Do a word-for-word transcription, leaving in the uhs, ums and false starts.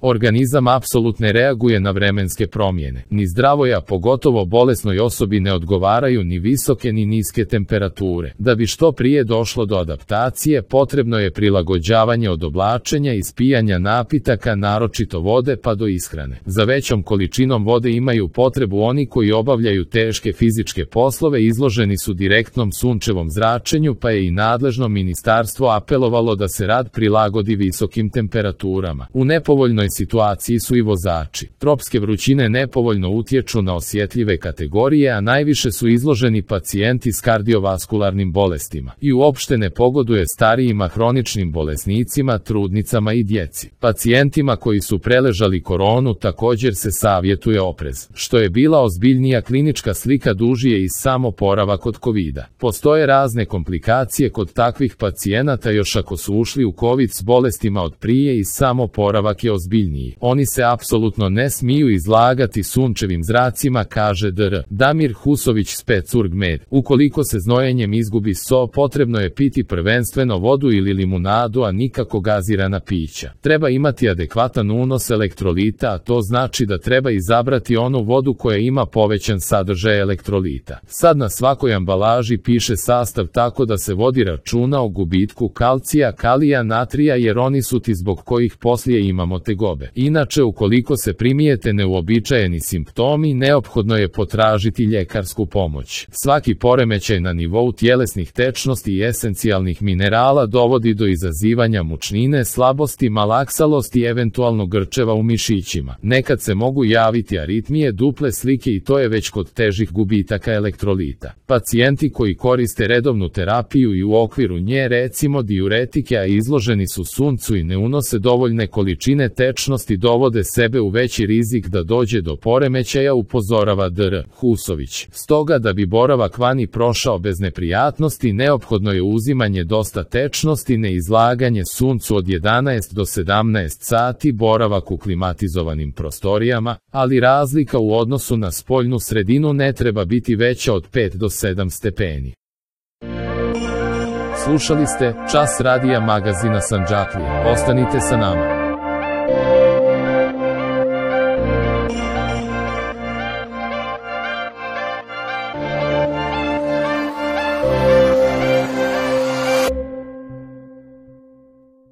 Organizam apsolutno ne reaguje na vremenske promjene. Ni zdravoj, a pogotovo bolesnoj osobi ne odgovaraju ni visoke ni niske temperature. Da bi što prije došlo do adaptacije, potrebno je prilagođavanje od oblačenja i ispijanja napitaka, naročito vode, pa do ishrane. Za većom količinom vode imaju potrebu oni koji obavljaju teške fizičke poslove, izloženi su direktnom sunčevom zračenju, pa je i nadležno ministarstvo apelovalo da se rad prilagodi visokim temperaturama. U nepovoljnoj situaciji su i vozači. Tropske vrućine nepovoljno utječu na osjetljive kategorije, a najviše su izloženi pacijenti s kardiovaskularnim bolestima. I uopšte ne pogoduje starijima, hroničnim bolesnicima, trudnicama i djeci. Pacijentima koji su preležali koronu također se savjetuje oprez. Što je bila ozbiljnija klinička slika, duži je i sam oporavak od kovida. Postoje razne komplikacije kod takvih pacijenata, još ako su ušli u kovid s bolestima od prije, i sam oporavak je ozbiljniji. Oni se apsolutno ne smiju izlagati sunčevim zracima, kaže dr Damir Husović s Pecurg-Med. Ukoliko se znojenjem izgubi so, potrebno je piti prvenstveno vodu ili limunadu, a nikako gazirana pića. Treba imati adekvatan unos elektrolita, a to znači da treba izabrati onu vodu koja ima povećan sadržaj elektrolita. Sad na svakoj ambalaži piše sastav, tako da se vodi računa o gubitku kalcija, kalija, natrija, jer oni su ti zbog kojih poslije imamo tegobe. Inače, ukoliko se primijete neuobičajeni simptomi, neophodno je potražiti ljekarsku pomoć. Svaki poremećaj na nivou tjelesnih tečnosti i esencijalnih minerala dovodi do izazivanja mučnine, slabosti, malaksalosti i eventualno grčeva u mišićima. Nekad se mogu javiti aritmije, duple slike, i to je već kod težih gubitaka elektrolita. Pacijenti koji koriste redovnu terapiju i u okviru nje, recimo diuretike, a izloženi su suncu i ne unose dovoljne količine tečnosti, dovode sebe u veći rizik da dođe do poremećaja, upozorava dr Husović. Stoga, da bi boravak vani prošao bez neprijatnosti, neophodno je uzimanje dosta tečnosti, neizlaganje suncu od jedanaest do sedamnaest sati, boravak u klimatizovanim prostorijama, ali razlika u odnosu na spoljnu sredinu ne treba biti veća od pet do sedam stepeni. Slušali ste Čas radija magazina Sandžaklija. Ostanite sa nama.